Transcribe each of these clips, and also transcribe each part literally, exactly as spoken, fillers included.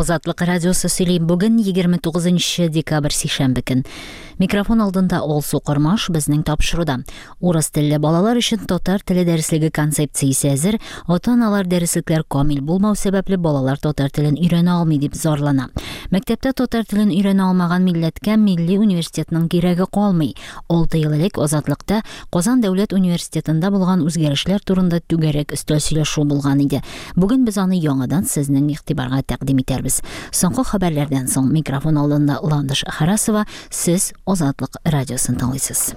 Азатлык радиосы сөйли. Бүген егерме тугызынчы декабрь, сишәмбе көн. Микрофон алдында Алсу Кормаш. Безнең тапшыруда урыс телле балалар өчен татар теле дәреслеге концепциясе әзер. Ата-аналар дәреслекләр камил булмау сәбәпле балалар татар телен өйрәнә алмый дип зарлана. Мәктәптә татар телен өйрәнә алмаган милләткә милли университетның кирәге калмый. Алты ел элек Азатлыкта Казан дәүләт университетында булган үзгәрешләр турында түгәрәк өстәл сөйләшү булган иде. Бүген без аны яңадан сезнең игътибарга тәкъдим итәрбез. Соңгы хәбәрләрдән соң микрофон алдында Ландыш Харасова, сез Азатлык радиосын тыңлыйсыз.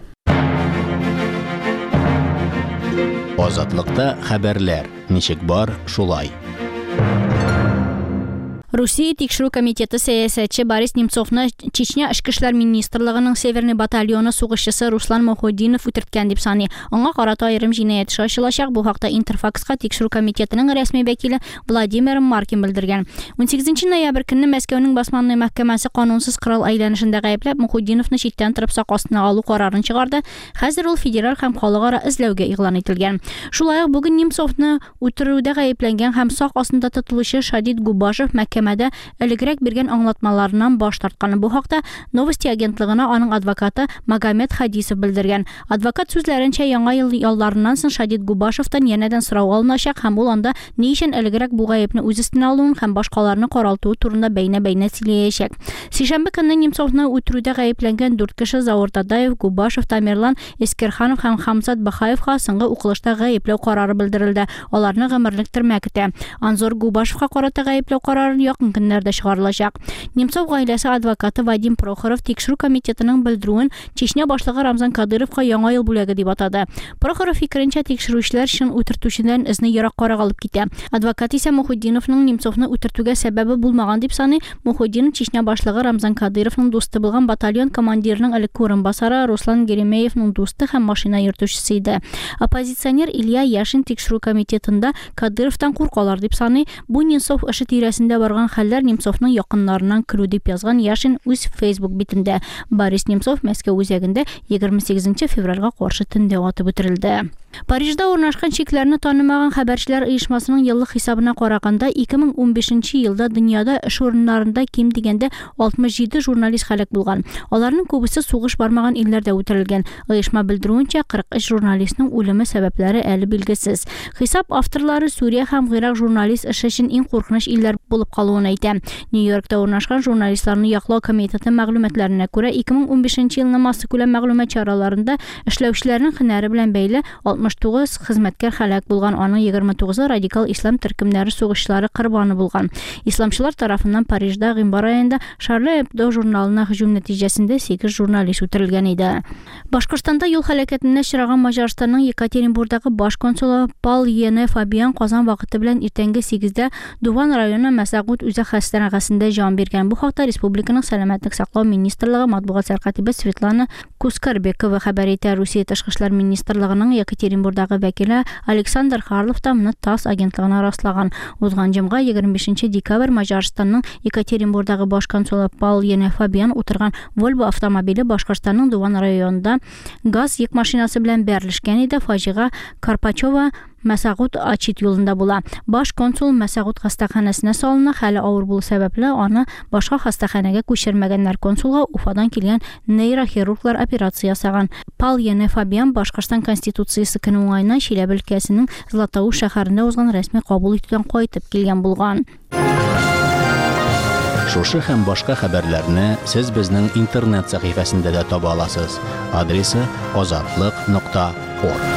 Азатлыкта хәбәрләр ничек бар, шулай. Русия тикшерү комитеты сәясәтче Борис Немцовны Чечня эчке эшләр министрлыгының Северный батальоны сугышчысы Руслан Мухутдинов үтерткән дип саный. Аңа карата аерым җинаять эше ачылачак. Бу хакта Интерфакска тикшерү комитетының рәсми вәкиле Владимир Маркин белдергән. Унсигезенче ноябрь көнне Мәскәүнең Басманный мәхкәмәсе канунсыз корал әйләнешендә гаепләп Мухутдиновны читтән торып сак астына алу карарын чыгарды. Хәзер ул федераль һәм халыкара эзләүгә игълан ителгән. Шулай ук бүген Немцовны үтерүдә гаепләнгән һәм сак астында тотылучы Шадид Губашев мәхкәмәдә элегрәк биргән аңлатмаларыннан баш тарткан. Бу хакта Новости агентлыгына аның адвокаты Магомед Хадисов белдергән. Адвокат сүзләренчә, яңа ел ялларыннан соң Шадид Губашевтан янәдән сорау алыначак һәм ул анда ни өчен элегрәк бу гаепне үз өстенә алуын һәм башкаларны каралтуы турында бәйнә-бәйнә сөйләячәк. Сишәмбе көнне Немцовны үтерүдә гаепләнгән дүрт кеше Заур Тадаев, Губашев, Тамерлан Эскерханов һәм Хамзат Бахаевка соңгы укылышта гаепләү карары белдерелде. Аларны гомерлек төрмә көтә. Анзор Губашевка карата гаепләү карарын якын көннәрдә чыгарылачак. Немцов гаиләсе адвокаты Вадим Прохоров тикшерү комитетының белдерүен Чечня башлыгы Рамзан Кадыровка яңа ел бүләге дип атады. Прохоров фикеренчә, тикшерүчеләр чын үтертүчедән эзне ераккарак алып китә. Адвокат исә Мухутдиновның Немцовны үтертүгә сәбәбе булмаган дип саный. Мухутдинов Чечня башлыгы Рамзан Кадыровның дусты булган батальон командирының элекке урынбасары Руслан Геремеевның дусты һәм машина йөртүчесе иде. Оппозиционер Илья Яшин тикшерү комитетында Кадыровтан куркалар дип саный. Бу Немцов эше тирәсендә барган хәлләр Немцовның якыннарыннан көлү дип язган Яшин үз Facebook битендә. Борис Немцов Мәскәү үзәгендә егерме сигезенче февральгә каршы төндә атып үтерелде. Парижда урнашкан чикләрне танымаган хәбәрчеләр оешмасының еллык хисабына караганда ике мең унбишенче елда дөньяда эш урыннарында ким дигәндә алтмыш җиде журналист һәлак булган. Аларның күбесе сугыш бармаган илләрдә үтерелгән. Оешма белдерүенчә, кырык өч журналистның үлеме сәбәпләре әле билгесез. Хисап авторлары Сүрия һәм Гыйрак журналист эше өчен иң куркыныч илләр булып калуын әйтә. Нью-Йоркта урнашкан журналистларны яклау комитеты мәгълүматларына күрә, ике мең унбишенче елның массакүләм мәгълүмат чараларында эшләүчеләрнең һөнәре белән бәйле алтмыш тугыз хезмәткәр һәлак булган, аның егерме тугызы радикал ислам төркемнәре сугышчылары корбаны булган. Исламчылар тарафыннан Парижда гыйнвар аенда Шарли Эбдо журналына һөҗүм нәтиҗәсендә сигез журналист үтерелгән иде. Башкортстанда юл һәлакәтенә очраган Маҗарстанның Екатеринбургдагы баш консулы Пал Ене Фабиан Казан вакыты белән иртәнге сигездә Дуван районы Мәсәгут үзәк хастаханәсендә җан биргән. Бу хакта республиканың сәламәтлек саклау министрлыгы матбугат сәркатибе Светлана Кускарбекова хәбәр итә. Русия тышкы эшләр министрлыгының Екатеринбургдагы вәкиле Александр Харлов та моны ТАСС агентлыгына раслаган. Узган җомга егерме бишенче декабрь Маҗарстанның Екатеринбургдагы баш консулы Пал Ене Фабиан утырган Volvo автомобиле Башкортстанның Дуван районында газ йөк машинасы белән бәрелешкән иде. Фаҗига Карпачева Мәсәгут Ачит юлында була. Баш консул Мәсәгут хастаханәсенә салына, хәле авыр булу сәбәпле аны башка хастаханәгә күчермәгәннәр. Консулга Уфадан килгән нейрохирурглар операция ясаган. Пал Ене Фабиан Башкортстан Конституциясе көне уңаеннан Чиләбе өлкәсенең Златоуст шәһәрендә узган рәсми кабул итүдән кайтып килгән булган. Шушы һәм башка хәбәрләрне сез безнең интернет сәхифәсендә дә таба аласыз. Адресы азатлык нокта орг.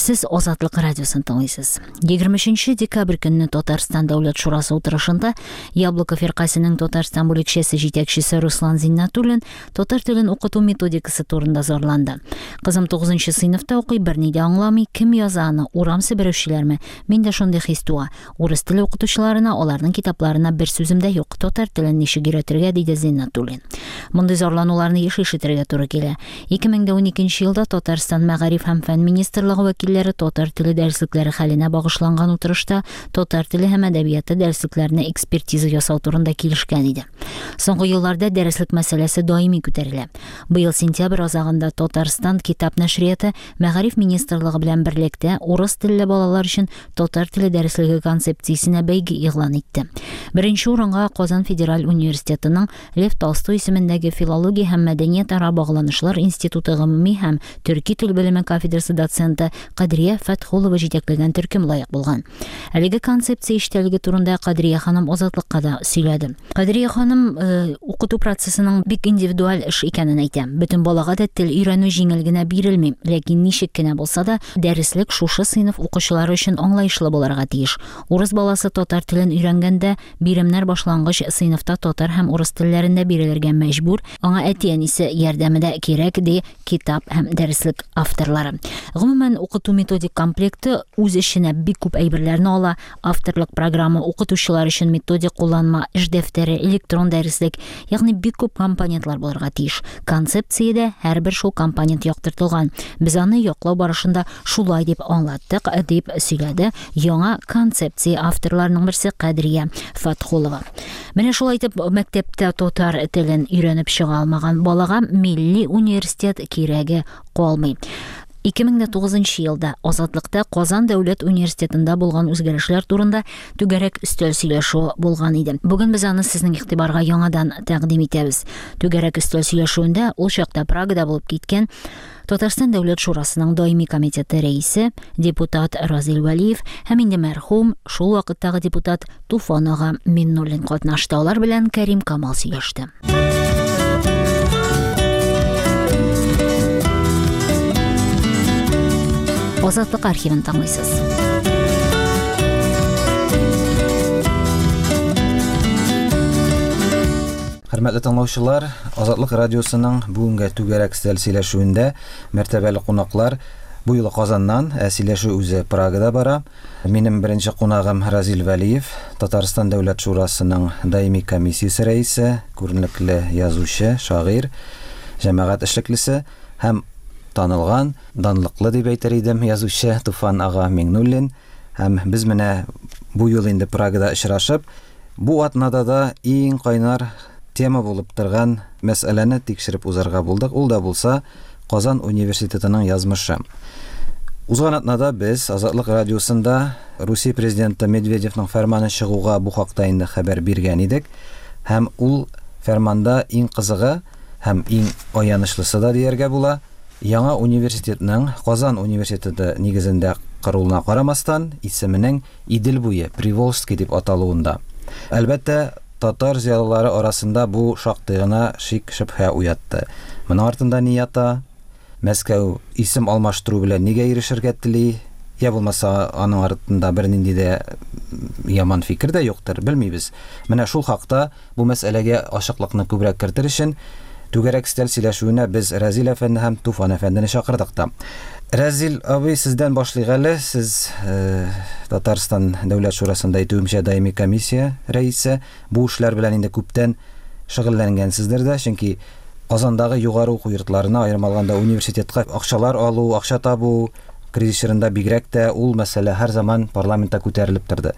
Сез Азатлык радиосын тыңлыйсыз. Егерме өченче декабрь көнне Татарстан Дәүләт Шурасы утырышында Яблоко фиркасының Татарстан бүлекчәсе җитәкчесе Руслан Зиннатуллин татар телен укыту методикасы турында зарланды. Кызым тугызынчы сыйныфта укый, берни дә аңламый, кем яза аны, урам себерүчеләрме? Миндә шундый хис туа. Урыс теле укытучыларына, аларның китапларына бер сүзем дә юк. Татар телен ничек өйрәтергә, диде Зиннатуллин. Мондый зарлануларны еш ишетергә туры килә. Ике мең дә уникенче елда Татарстан Мәгариф һәм фән министрлыгы вәкилләре вәкилләре татар теле дәреслекләре хәленә багышланган утырышта татар теле һәм әдәбияты дәреслекләренә экспертиза ясау турында килешкән иде. Соңгы елларда дәреслек мәсьәләсе даими күтәрелә. Быел сентябрь азагында Татарстан китап нәшрияты Мәгариф министрлыгы белән берлектә урыс телле балалар өчен татар теле дәреслеге концепциясенә бәйге игълан итте. Беренче урынга Казан федераль университетының Лев Толстой исемендәге филология һәм мәдәниятара багланышлар институты гомуми һәм төрки тел белеме кафедрасы доценты Кадрия Фәтхулова җитәкләгән төркем лаек булган. Әлеге концепция эчтәлеге турында Кадрия ханым Азатлыкка да сөйләде. Кадрия ханым э, укыту процессының бик индивидуаль эш икәнен әйтә. Бөтен балага да тел өйрәнү җиңел генә бирелми, ләкин ничек кенә булса да дәреслек шушы сыйныф укучылары өчен аңлаешлы булырга тиеш. Урыс баласы татар телен өйрәнгәндә биремнәр башлангыч сыйныфта татар һәм урыс телләрендә бирелергә мәҗбүр. Аңа әти-әнисе ярдәме дә кирәк, ди китап һәм дәреслек авторлары. Гомумән, укыту методик комплекты үз эченә бик күп әйберләрне ала. Авторлык программа, укытучылар өчен методик кулланма, эш дәфтәре, электрон дәреслек, ягъни бик күп компонентлар булырга тиеш. Концепциядә һәрбер шул компонент яктыртылган. Без аны яклау барышында шулай дип аңлаттык, дип сөйләде яңа концепция авторларының берсе Кадрия Фәтхулова. Менә шулай итеп мәктәптә татар телен өйрәнеп чыга алмаган балага милли университет кирәге калмый. ике мең тугызынчы елда Азатлыкта Казан дәүләт университетында булган үзгәрешләр турында түгәрәк өстәл сөйләшүе булган иде. Бүген без аны сезнең игътибарга яңадан тәкъдим итәбез. Түгәрәк өстәл сөйләшүендә ул чакта Прагада булып киткән Татарстан Дәүләт Шурасының даими комитеты рәисе, депутат Разил Вәлиев һәм инде мәрхүм шул вакыттагы депутат Туфан ага Миннуллин катнашты. Алар белән Кәрим Камал сөйләште. Азатлык архивын тыңлыйсыз. Хөрмәтле тыңлаучылар, Азатлык радиосының бүгенге түгәрәк өстәл сөйләшүендә мәртәбәле кунаклар бу юлы Казаннан, ә сөйләшү үзе Прагада бара. Минем беренче кунагым Разил Вәлиев, Татарстан Дәүләт Шурасының даими комиссиясе рәисе, күренекле язучы, шагыйрь, җәмәгать эшлеклесе һәм танылган, данлыклы дип әйтер идем, язучы Туфан ага Миңнуллин. Һәм без менә бу юлы инде Прагада очрашып, бу атнада да иң кайнар тема булып торган мәсьәләне тикшереп узарга булдык. Ул да булса Казан университетының язмышы. Узган атнада без Азатлык радиосында Русия президенты Медведевның фәрманы чыгуга бу хакта инде хәбәр биргән идек. Һәм ул фәрманда иң кызыгы һәм иң аянычлысы да дияргә була, яңа университетның Казан университеты нигезендә корылуына карамастан исеменең Идел буе, Приволжский дип аталуында. Әлбәттә, татар зыялылары арасында бу шактый гына шик-шөбһә уятты. Моның артында ни ята? Мәскәү исем алмаштыру белән нигә ирешергә тели? Я булмаса, аның артында бернинди дә яман фикер дә юктыр, белмибез. Менә шул хакта бу мәсьәләгә ачыклыкны күбрәк кертер өчен түгәрәк өстәл сөйләшүенә без Разил әфәнде һәм Туфан әфәндене чакырдык та. Разил абый, сездән башлыйк әле. Сез э, Татарстан Дәүләт Шурасында әйтүемчә даими комиссия рәисе. Бу эшләр белән инде күптән шөгыльләнгәнсездер дә, чөнки Казандагы югары уку йортларына, аерым алганда университетка акчалар алу, акча табу кризис чорында бигрәк тә ул мәсьәлә һәр заман парламентта күтәрелеп торды.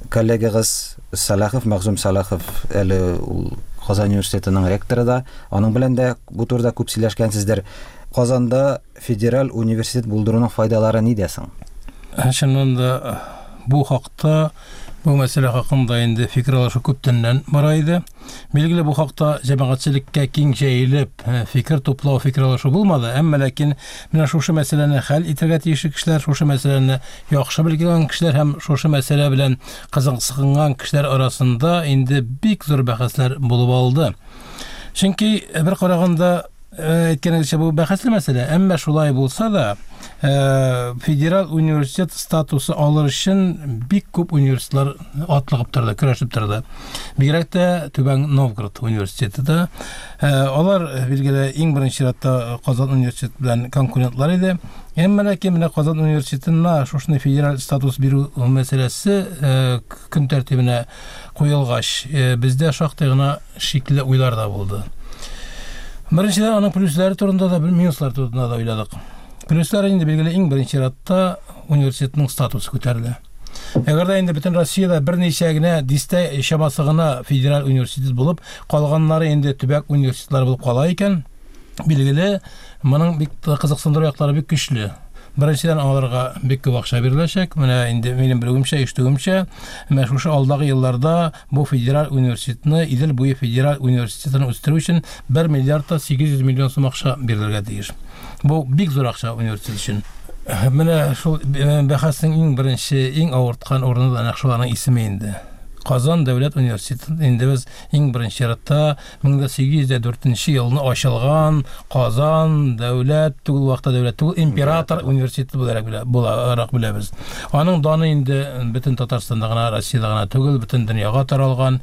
Коллегагыз Салахов, Мәгъзум Салахов, әле ул Казан университетының ректоры да, аның белән дә бу турыда күп сөйләшкәнсездер. Казанда федераль университет булдыруның файдалары нидә соң? Чыннан да бу хакта, бу мәсьәлә хакында инде фикер алышу күптәннән бара иде. Билгеле, бу хакта җәмәгатьчелеккә киң җәелеп фикер туплау, фикер алышу булмады. Әмма ләкин менә шушы мәсьәләне хәл итәргә тиешле кешеләр, шушы мәсьәләне яхшы белгән кешеләр һәм шушы мәсьәлә белән кызыксынган кешеләр арасында инде бик зур бәхәсләр булып алды. Чөнки бер караганда әйткәнегезчә бу бәхәсле мәсьәлә, әмма шулай булса да федераль университет статусы алыр өчен бик күп университетлар атлыгып торды, көрәшеп торды. Бигрәк тә Түбән Новгород университеты да. Алар билгеле иң беренче чиратта Казан университеты белән конкурентлар иде. Әмма ләкин менә Казан университетына шушындый федераль статус бирү мәсьәләсе көн тәртибенә куелгач, бездә шактый гына шикле уйлар да булды. Беренчедән, аның плюслары турында да, минуслары турында да уйладык. Плюслары инде билгеле иң беренче чиратта университетның статусы күтәрелә. Әгәр дә инде бөтен Россиядә берничә генә дистә чамасы гына федераль университет булып, калганнары инде төбәк университетлары булып кала икән, билгеле, моның бик кызыксындыру яклары бик көчле. Беренчедән, аларга бик күп акча биреләчәк. Менә инде минем белүемчә, ишетүемчә, менә шушы алдагы елларда бу федераль университетны, Идел буе федераль университетын үстерү өчен бер миллиард та сигез йөз миллион сум акча бирелергә тиеш. Бу бик зур акча университет өчен. Менә шул бәхәснең иң беренче, иң авырткан урыны да нәкъ шуларның исеме инде. Казан дәүләт университеты инде без иң беренче чиратта мең дә сигез йөз дүртенче елны ачылган Казан дәүләт түгел, вакытта дәүләт түгел, император университеты буларак белә, буларак беләбез. Аның даны инде бөтен Татарстанда гына, Россиядә гына түгел, бөтен дөньяга таралган.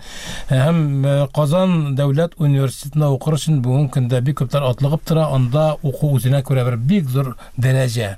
Һәм Казан дәүләт университетында укыр өчен бүгенге көндә бик күпләр атлыгып тора, анда уку үзенә күрә бер бик зур дәрәҗә.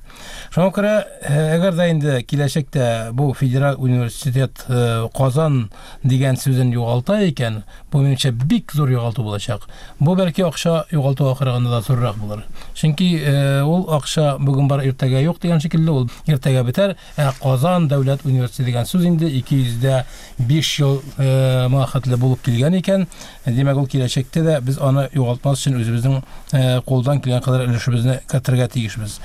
Шуңа күрә, әгәр дә инде киләчәктә бу федераль университет Казан дигән сүзен югалта икән, бу минемчә бик зур югалту булачак. Бу бәлки акча югалтуга караганда да зуррак булыр. Чөнки ул акча бүген бар, иртәгә юк дигән шикелле, ул иртәгә бетәр. Ә Казан дәүләт университеты дигән сүз инде ике йөз дә биш ел моңа хәтле булып килгән икән, димәк, ул киләчәктә дә без аны югалтмас өчен үзебезнең кулдан килгән кадәр өлешебезне кертергә тиешбез.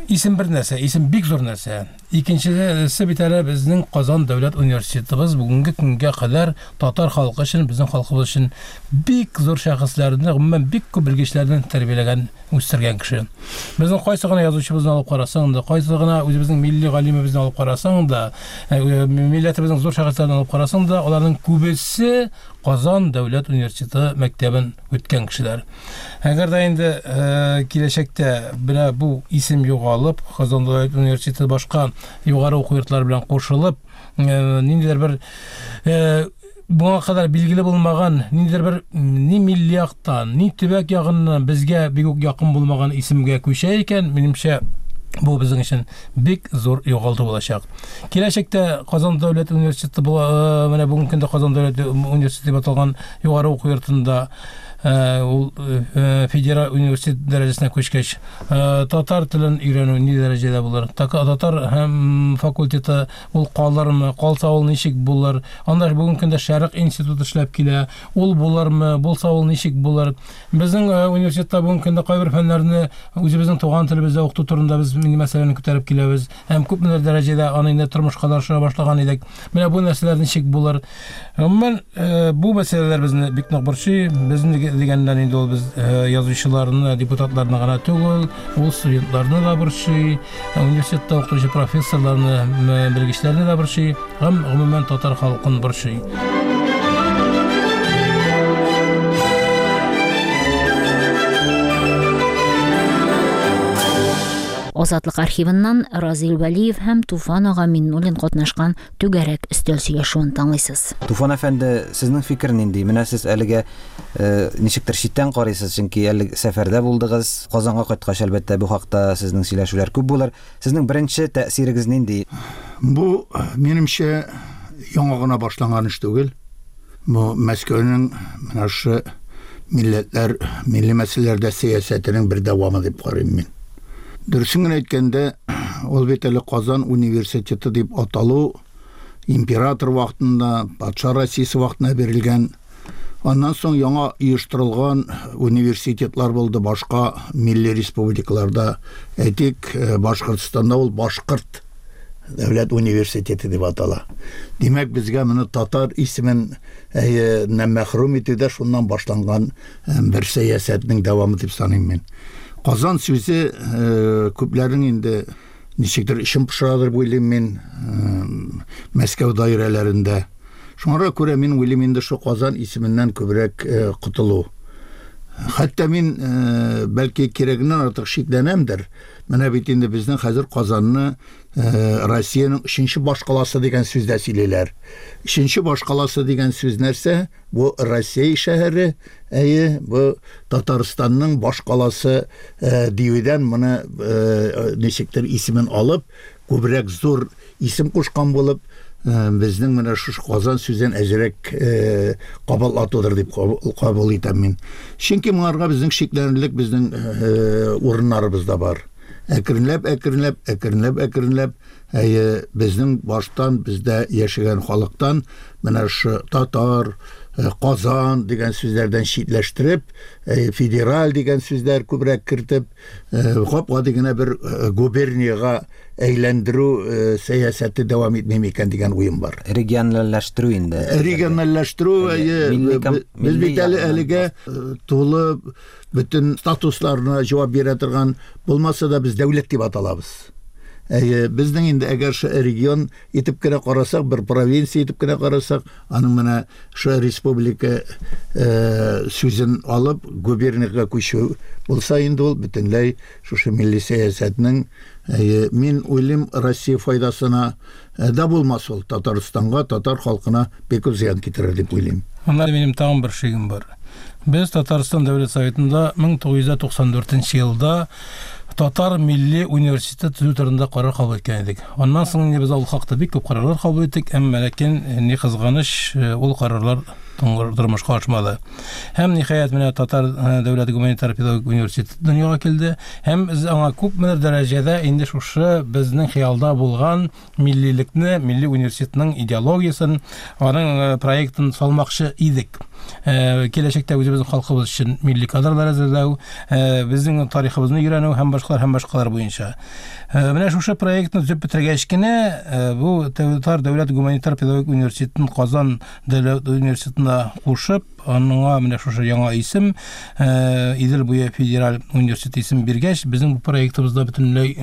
Исем бер нәрсә, исем бик зур нәрсә. Икенчесе бит әле безнең Казан дәүләт университетыбыз бүгенге көнгә кадәр татар халкы өчен, безнең халкыбыз өчен бик зур шәхесләрне, гомумән бик күп белгечләрне тәрбияләгән, үстергән кеше. Безнең кайсы гына язучыбызны алып карасаң да, кайсы гына үзебезнең милли галимебезне алып карасаң да, милләтебезнең зур шәхесләрен алып карасаң да, аларның күбесе Казан дәүләт университеты мәктәбен үткән кешеләр. Әгәр дә инде киләчәктә менә бу исем югалып, Казан дәүләт университеты башка югары уку йортлары белән кушылып, ниндидер бер моңа кадәр билгеле булмаган, ниндидер бер ни милли яктан, ни төбәк ягыннан безгә бик үк якын булмаган исемгә күчә икән, минемчә, бу безнең өчен бик зур югалту булачак. Киләчәктә Казан дәүләт университеты була, менә бүгенге көндә Казан дәүләт университеты дип аталган югары уку йортында ул федераль университет дәрәҗәсенә күчкәч, татар телен өйрәнү ни дәрәҗәдә булыр? Татар һәм факультеты ул калырмы? Калса ул ничек булыр? Анда бүгенге көндә Шәрык институты эшләп килә. Ул булырмы? Булса ул ничек булыр? Безнең университетта бүгенге көндә кайбер фәннәрне үзебезнең туган телебездә укыту турында без милли мәсьәләне күтәреп киләбез. Һәм күпмедер дәрәҗәдә аны инде тормышка да ашыра башлаган идек. Менә бу нәрсәләр ничек булыр? Гомумән, бу мәсьәләләр безне бик нык борчый. Безне дигәннән инде ул без язучыларны, депутатларны гына түгел, ул студентларны да борчый, университетта укытучы профессорларны, белгечләрне дә борчый, һәм гомумән татар халкын борчый. Азатлык архивыннан Разил Вәлиев һәм Туфан ага Миннуллин катнашкан түгәрәк өстәл сөйләшүен тыңлыйсыз. Туфан әфәнде, сезнең фикер нинди? Менә сез әлегә ничектер читтән карыйсыз, чөнки әле сәфәрдә булдыгыз. Казанга кайткач, әлбәттә, бу хакта сезнең сөйләшүләр күп булыр. Сезнең беренче тәэсирегез нинди? Бу, минемчә, яңа гына башланган эш түгел. Бу Мәскәүнең менә шу милләтләр, милли мәсьәләләрдә сәясәтенең бер дәвамы дип карыйм мин. Дөресен генә әйткәндә, ул бит әле Казан университеты дип аталу император вакытында, патша Россиясе вакытында бирелгән. Аннан соң яңа оештырылган университетлар булды башка милли республикаларда. Әйтик, Башкортстанда ул Башкорт дәүләт университеты дип атала. Димәк, безгә моны татар исемен мәхрүм итүдә шуннан башланган бер сәясәтнең дәвамы дип саныйм мин. Казан сүзе күпләрнең инде ничектер эчен пошырадыр дип уйлыйм мин, Мәскәү даирәләрендә. Шуңа күрә мин уйлыйм инде шу Казан исеменнән күбрәк котылу. Хәтта мин бәлки кирәгеннән артык шикләнәмдер. Менә бит инде безнең хәзер Казанны Россиянең өченче башкаласы дигән сүздә сөйлиләр. Өченче башкаласы дигән сүз нәрсә? Бу Россия шәһәре, әйе, бу Татарстанның башкаласы диюдән моны ничектер исемен алып, күбрәк зур исем кушкан булып, безнең менә шушы Казан сүзен әзрәк кабул атудыр дип кабул итәм мин. Чөнки моңарга безнең шикләнерлек безнең урыннарыбыз да бар. Әкренләп, әкренләп, әкренләп, әкренләп әйе, безнең баштан, бездә яшәгән халыктан менә шу татар, Казан дигән сүзләрдән читләштереп, федераль дигән сүзләр күбрәк кертеп, гап-гади генә бер губернияга әйләндерү сәясәте дәвам итми микән дигән уем бар. Региональләштерү инде. Региональләштерү, без бит әле әлегә тулы бөтен статусларына җавап бирә торган булмаса да без дәүләт дип аталабыз. Әйе, безнең инде әгәр шу регион итеп кенә карасак, бер провинция итеп кенә карасак, аның менә шу республика сүзен алып губернияга күчү булса инде ул бөтенләй шушы милли сәясәтнең, әйе, мин уйлыйм, Россия файдасына да булмас ул, Татарстанга, татар халкына бик күп зыян китерер дип уйлыйм. Монда минем тагын бер шигем бар. Без Татарстан Дәүләт Советында мең тугыз йөз туксан дүртенче елда Татар милли университеты төзү турында карар кабул иткән идек. Аннан соң инде без ул хакта бик күп карарлар кабул иттек, әмма ләкин ни кызганыч, ул карарлар тормышка ашмады. Һәм ниһаять менә Татар дәүләт гуманитар педагогик университеты дөньяга килде. Һәм без аңа күпмедер дәрәҗәдә инде шушы безнең хыялда булган миллилекне, милли университетның идеологиясен, аның проектын салмакчы идек. Киләчәктә үзебезнең халкыбыз өчен милли кадрлар әзерләү, безнең тарихыбызны өйрәнү һәм башкалар һәм башкалар буенча. Менә шушы проектны төзеп бетергәч кенә бу Татар дәүләт гуманитар педагогик университетын Казан дәүләт университетына кушып, аныңа менә шушы яңа исем, Идел буе федераль университет исем биргәч, безнең бу проектыбыз да бөтенләй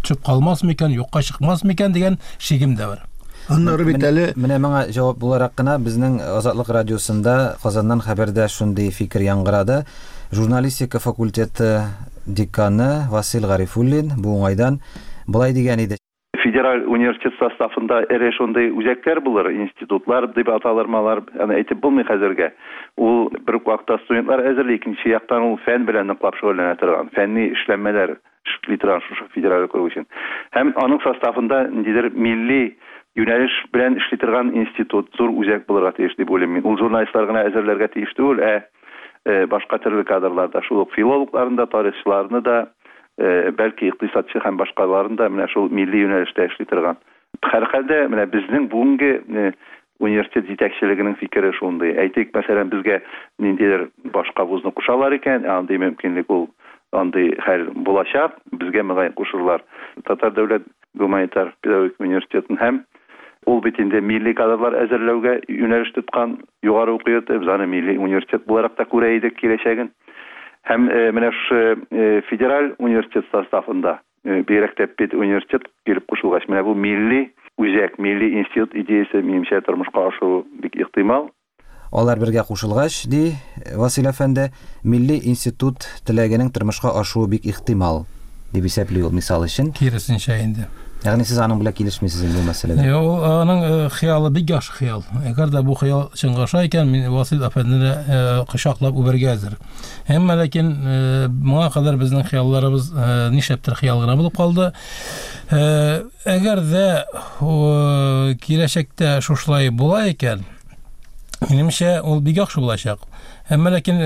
төшеп калмас микән, юкка чыкмас микән дигән шигем дә бар. Аннары бит әле менә моңа җавап буларак кына безнең Азатлык радиосында Казаннан хәбәрдә шундый фикер яңгырады. Журналистика факультеты деканы Васил Гарифуллин бу уңайдан былай дигән иде. Федераль университет составында эре шундый үзәкләр булыр, институтлар дип аталырмалар, аны әйтеп булмый хәзергә. Ул бер үк вакытта студентлар әзерли, икенче яктан ул фән белән ныклап шөгыльләнә торган, фәнни эшләнмәләр эшли торган шушы федераль округ өчен. Һәм аның составында ниндидер милли юнәлеш белән эшли торган институт, зур үзәк булырга тиеш дип уйлыйм мин. Ул журналистлар гына әзерләргә тиеш түгел, ә башка төрле кадрлар да, шул ук филологларны да, тарихчыларны да, бәлки икътисадчы һәм башкаларын да менә шул милли юнәлештә эшли торган. Һәрхәлдә менә безнең бүгенге университет җитәкчелегенең фикере шундый. Әйтик, мәсәлән, безгә ниндидер башка вузны кушалар икән, андый мөмкинлек ул, андый хәл булачак, безгә мөгаен кушырлар. Татар дәүләт гуманитар педагогик университетын һәм ул бит инде милли кадрлар әзерләүгә юнәлеш тоткан югары уку йорты, без аны милли университет буларак та күрә идек киләчәген. Һәм менә шушы федераль университет составында бигрәк тә педуниверситет килеп кушылгач, менә бу милли үзәк, милли институт идеясе минемчә тормышка ашуы бик ихтимал. Алар бергә кушылгач, ди Васил әфәнде, милли институт теләгенең тормышка ашуы бик ихтимал дип исәпли ул мисал өчен. Киресенчә инде. Ягъни сез аның белән килешмисез инде бу мәсьәләдә. Юк, аның хыялы бик яхшы хыял. Әгәр дә бу хыял чынга аша икән, мин Васил әфәндене кочаклап үбәргә әзер. Әмма ләкин моңа кадәр безнең хыялларыбыз нишләптер хыял гына булып калды. Әгәр дә киләчәктә шушылай була икән, минемчә, ул бик яхшы булачак. Әмма ләкин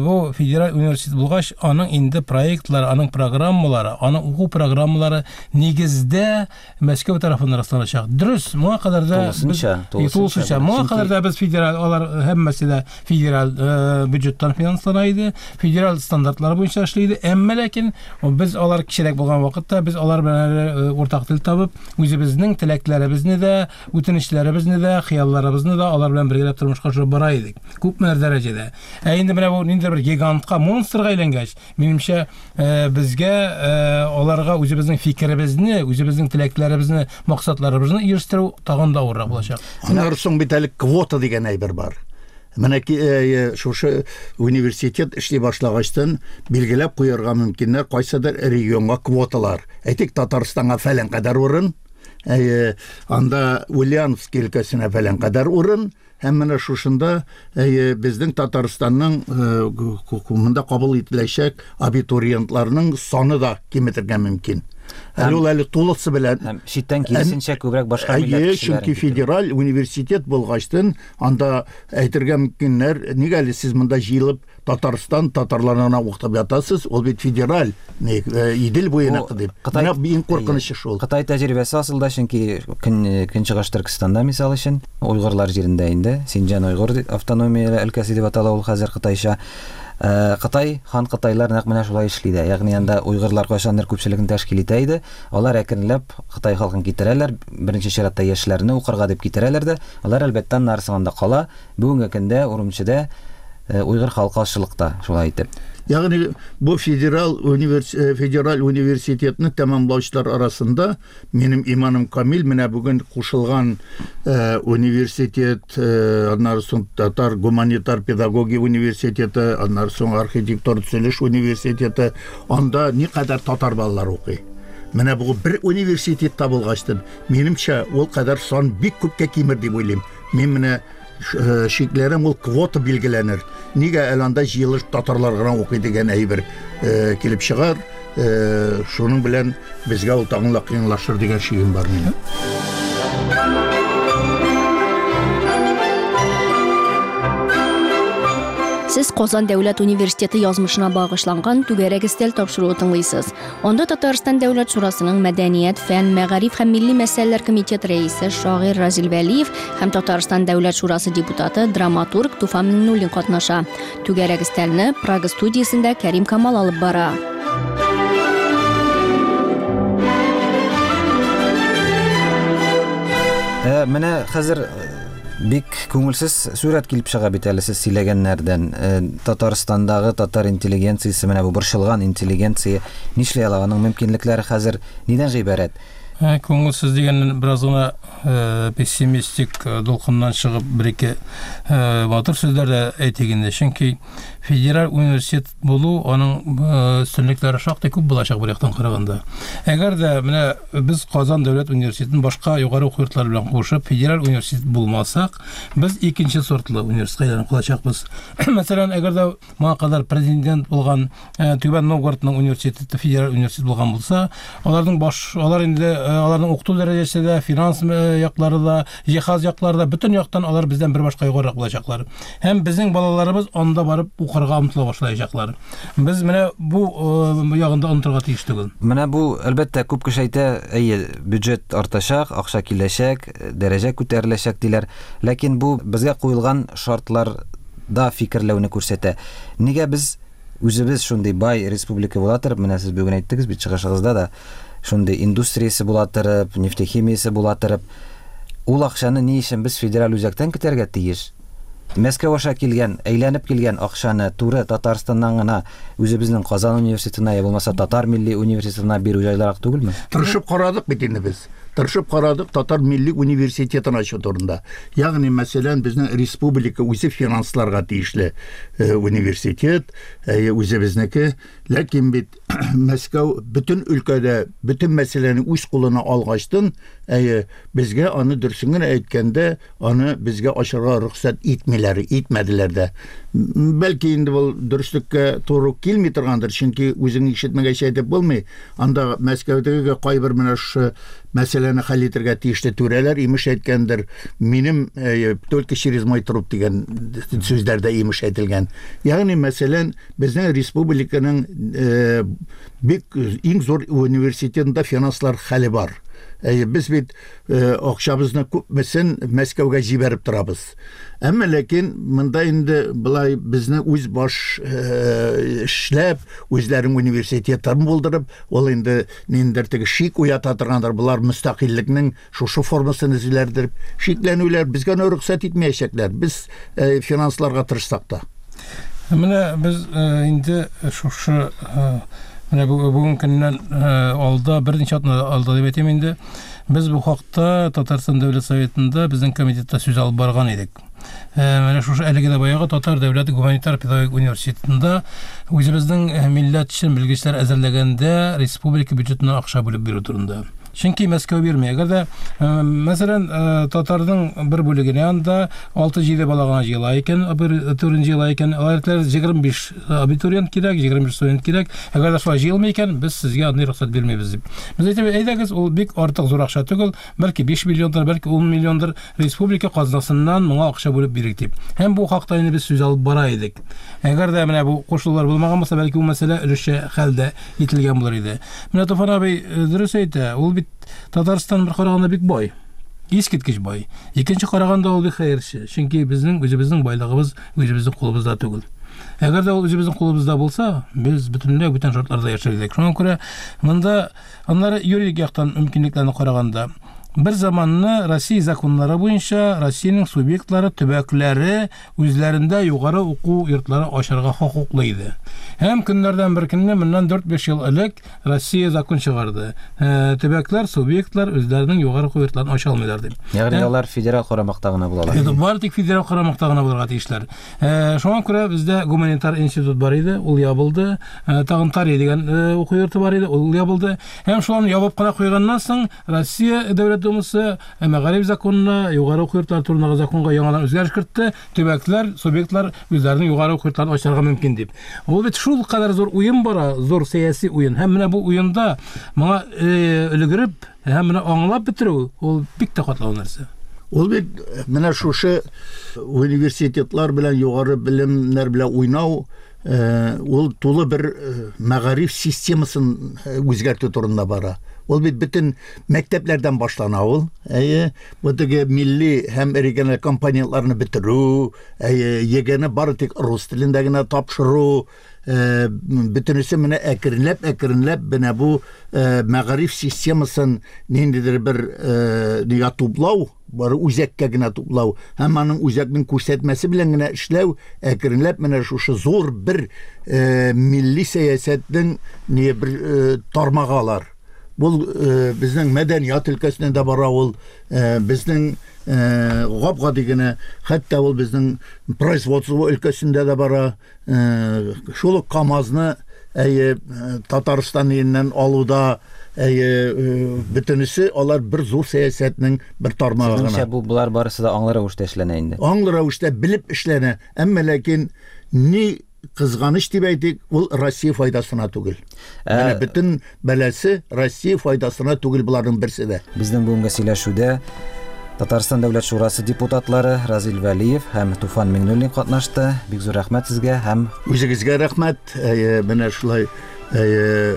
бу федераль университет булгач, аның инде проектлары, аның программалары, аның уку программалары нигездә Мәскәү тарафыннан расланачак. Дөрес, моңа кадәр дә тулысынча, тулысынча, моңа кадәр дә без федераль, алар һәммәсе дә федераль бюджеттан финанслана иде, федераль стандартлар буенча эшли иде. Әмма ләкин без алар кечерәк булган вакытта без алар белән уртак тел табып, үзебезнең теләкләребезне дә, үтенечләребезне дә, хыялларыбызны да алар белән бергәләп тормышка ашырып бара идек. Күпмедер дәрәҗәдә. Ә инде менә бу ниндидер бер гигантка, монстрга әйләнгәч, минемчә, безгә аларга үзебезнең фикеребезне, үзебезнең теләкләребезне, максатларыбызны ирештерү тагын да авыррак булачак. Аннары соң бит әле квота дигән әйбер бар. Менә шушы университет эшли башлагачтан билгеләп куярга мөмкиннәр кайсыдыр регионга квоталар. Әйтик, Татарстанга фәлән кадәр урын, анда Ульяновск өлкәсенә фәлән кадәр урын. Һәм менә шушында безнең Татарстанның монда кабул ителәчәк абитуриентларның саны да киметергә мөмкин. Әле ул әле тулысы белән. Һәм читтән киресенчә күбрәк башка милләт кешеләрен. Чөнки федераль университет булгачтын, анда әйтергә мөмкиннәр, нигә әле сез монда җыелып Татарстан татарларына укытып ятасыз, ул бит федераль, Идел буеныкы дип. Менә иң куркынычы шул. Кытай тәҗрибәсе асылда, чөнки Көнчыгыш Төркестанда, мисал өчен, уйгырлар җирендә инде, Синҗан уйгыр автономияле өлкәсе дип атала ул хәзер кытайча. Кытай, хан кытайлар нәкъ менә шулай эшли дә. Ягъни анда уйгырлар кайчандыр күпчелеген тәшкил итә иде. Алар әкренләп Кытай халкын китерәләр, беренче чиратта яшьләрне укырга дип китерәләр дә, алар әлбәттә аннары анда кала. Бүгенге көндә Урумчида уйгыр халкы азчылыкта шулай итеп. Ягъни бу федераль универс федераль университетны тәмамлаучылар арасында минем иманым камил, менә бүген кушылган э, университет, э, аннары соң Татар гуманитар педагогия университеты, аннары соң архитектура төзелеш университеты, анда никадәр татар балалары укый. Менә бу бер университетта булгачтын, минемчә, ул кадәр сан бик күпкә кимер дип уйлыйм. Мин менә шикләрем ул квота билгеләнер. Нигә әле анда җыелыш татарлар гына укый дигән әйбер килеп чыгар. Шуның белән безгә ул тагын да кыенлашыр дигән шигем бар минем. Сез Казан дәүләт университеты язмышына багышланган түгәрәк өстәл тапшыруы тыңлыйсыз. Анда Татарстан Дәүләт Шурасының Мәдәният, фән, мәгариф һәм милли мәсьәләләр комитеты рәисе шагыйрь Разил Вәлиев һәм Татарстан Дәүләт Шурасы депутаты, драматург Туфан Миңнуллин катнаша. Түгәрәк өстәлне Прага студиясендә Кәрим Камал алып бара. Ә, менә хәзер бик күңелсез сурәт килеп чыга бит әле сез сөйләгәннәрдән. Татарстандагы татар интеллигенциясе, менә бу борчылган интеллигенция нишли ала, аның мөмкинлекләре хәзер нидән гыйбарәт? Күңелсез дигәннән бераз гына пессимистик дулкыннан чыгып бер-ике батыр сүзләр дә әйтик инде. Чөнки федераль университет булу аның өстенлекләре шактый күп булачак бер яктан караганда. Әгәр дә менә без Казан дәүләт университетын башка югары уку йортлары белән кушып федераль университет булмасак, без икенче сортлы университетка әйләнеп калачакбыз. Мәсәлән, әгәр дә моңа кадәр президент булган Түбән Новгородның университеты федераль университет булган булса, аларның баш алар инде аларның укыту дәрәҗәсе дә, финанс яклары да, җиһаз яклары да, бөтен яктан алар бездән бер башка югарырак булачаклар. Һәм безнең балаларыбыз анда барып укырга омтыла башлаячаклар. Без менә бу ягында онытырга тиеш түгел. Менә бу, әлбәттә, күп кеше әйтә, әйе, бюджет артачак, акча киләчәк, дәрәҗә күтәреләчәк диләр. Ләкин бу безгә куелган шартларда фикерләүне күрсәтә. Нигә без үзебез шундый бай республика була торып, менә сез бүген әйттегез бит чыгышыгызда да, шундый индустриясе була торып, нефтехимиясе була торып, ул акчаны ни өчен без федераль үзәктән көтәргә тиеш? Мәскәү аша килгән, әйләнеп килгән акчаны туры Татарстаннан гына үзебезнең Казан университетына я булмаса Татар милли университетына бирү җайлырак түгелме? Тырышып карадык бит инде без. Тырышып карадык Татар милли университетын ачу турында. Ягъни, мәсәлән, безнең республика үзе финансларга тиешле университет, үзебезнеке. Ләкин бит Мәскәү бөтен өлкәдә бөтен мәсьәләне үз кулына алгачтын, безгә аны дөресен генә әйткәндә, аны безгә ачарга рөхсәт итмиләр, итмәделәр дә. Бәлки инде бу дөреслеккә туры килми торгандыр, чөнки үзең ишетмәгәч әйтеп булмый. Анда Мәскәүдәге кайбер менә шушы мәсьәләне хәл итәргә тиешле түрәләр имеш әйткәндер, минем только через мой труп дигән сүзләр дә имеш әйтелгән. Ягъни, мәсәлән, безнең республиканың бик иң зур университетында финанслар хәле бар. Без бит акчабызны күпмесен Мәскәүгә җибәреп торабыз. Әмма ләкин монда инде былай безне үз баш эшләп, үзләренең университетларын булдырып, ул инде ниндидер теге шик уята торгандыр, болар мөстәкыйльлекнең шушы формасын эзләрдер. Шикләнүләр безгә рөхсәт итмәячәкләр. Без финансларга тырышсак та. Менә без инде шушы менә бүгенге көннән алда, берничә атна алда дип әйтим инде, без бу хакта Татарстан Дәүләт Советында безнең комитетта сүз алып барган идек. Менә шушы әлеге дә баягы Татар дәүләт гуманитар педагогик университетында үзебезнең милләт өчен белгечләр әзерләгәндә республика бюджетына акча бүлеп бирү турында. Чөнки Мәскәү бирми. Әгәр дә, мәсәлән, татарның бер бүлегенә анда алты-җиде бала гына җыела икән, абитуриент җыела икән, алар егерме биш абитуриент кирәк, егерме биш студент кирәк. Әгәр дә шулай җыелмый икән, без сезгә андый рөхсәт бирмибез дип. Без әйтәбез, әйдәгез, ул бик артык зур акча түгел, бәлки биш миллиондыр, бәлки ун миллиондыр республика казнасыннан моңа акча бүлеп бирик дип. Һәм бу хакта инде без сүз алып бара идек. Әгәр дә менә бу кушылулар булмаган булса, бәлки бу мәсьәлә өлешчә хәл дә ителгән булыр иде. Менә Туфан абый дөрес әйтә, ул бит Татарстан бер караганда бик бай. Искиткеч бай. Икенче караганда ул бик хәерче. Чөнки безнең үзебезнең байлыгыбыз үзебезнең кулыбызда түгел. Әгәр дә ул үзебезнең кулыбызда булса, без бөтенләй бүтән шартларда яшәр идек. Шуңа күрә монда аннары юридик яктан мөмкинлекләрне караганда, бер заманны Россия законнары буенча Россиянең субъектлары, төбәкләре үзләрендә югары уку йортлары ачарга хокуклы иде. Һәм көннәрдән бер көнне моннан дүрт-биш ел элек Россия закон чыгарды. Төбәкләр, субъектлар үзләренең югары уку йортларын ача алмыйлар дип. Ягъни алар федераль карамакта гына булалар. Бары тик федераль карамакта гына булырга тиешләр. Шуңа күрә бездә гуманитар институт бар иде, ул ябылды. Тагын Тари дигән уку йорты бар иде, ул ябылды. Һәм шуларны ябып кына куйганнан соң Россия дәүләт Думасы мәгариф законына, югары уку йортлары турындагы законга яңадан үзгәреш кертте. Төбәкләр, субъектлар үзләренең югары уку йортларын ачарга мөмкин дип. Ул бит шул кадәр зур уен бара, зур сәяси уен. Һәм менә бу уенда моңа өлгереп, һәм менә аңлап бетерү ул бик тә катлаулы нәрсә. Ул бит менә шушы университетлар белән югары белемнәр белән уйнау, ул тулы бер мәгариф системасын үзгәртү турында бара. Ул бит бөтен мәктәпләрдән башлана ул. Әйе, бу теге милли һәм региональ компонентларны бетерү, әйе, ЕГЭне бары тик рус телендә генә тапшыру, бөтенесе менә әкренләп әкренләп менә бу мәгариф системасын ниндидер бер нигә туплау, бары үзәккә генә туплау һәм аның үзәкнең күрсәтмәсе белән генә эшләү әкренләп менә шушы зур бер милли сәясәтнең ни бер тармагы алар. Бу безнең мәдәният өлкәсенә дә бара ул, безнең гап-гади генә, хәтта ул безнең производство өлкәсендә дә бара. Шул ук КАМАЗны әйе Татарстан иленнән алуда, әйе бөтенесе алар бер зур сәясәтнең бер тармагы гына. Сезнеңчә бу болар барысы да аңлы рәвештә эшләнә инде? Аңлы рәвештә белеп эшләнә, әмма ләкин ни кызганыч дип әйтик, ул Россия файдасына түгел. Менә бөтен бәласе Россия файдасына түгел буларның берсе дә. Безнең бүгенге сөйләшүдә Татарстан Дәүләт Шурасы депутатлары Разил Вәлиев һәм Туфан Миңнуллин катнашты. Бик зур рәхмәт сезгә һәм үзегезгә рәхмәт. Менә шулай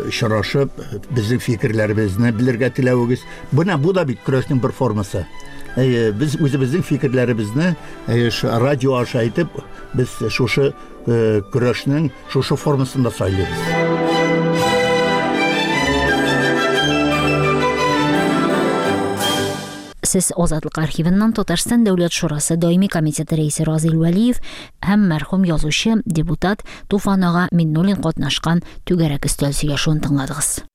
очрашып, безнең фикерләребезне белергә теләвегез. Менә бу да бит көрәшнең бер формасы. Без үзебезнең фикерләребезне радио аша әйтеп, без шушы көрәшнең шушы формасын да сайлыйбыз. Сез Азатлык архивыннан Татарстан Дәүләт Шурасы даими комитеты рәисе Разил Вәлиев һәм мәрхүм язучы, депутат Туфан ага Миңнуллин катнашкан түгәрәк өстәл сөйләшүен тыңладыгыз.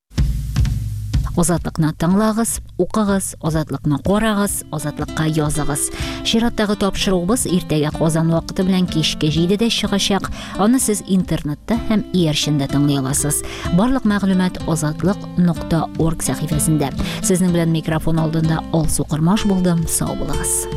Азатлыкны тыңлагыз, укыгыз, Азатлыкны карагыз, Азатлыкка языгыз. Чираттагы тапшыруыбыз иртәгә Казан вакыты белән кичке җидедә чыгачак. Аны сез интернетта һәм иярчендә тыңлый аласыз. Барлык мәгълүмат азатлык нокта орг сәхифәсендә. Сезнең белән микрофон алдында Алсу Кормаш булдым. Сау булыгыз.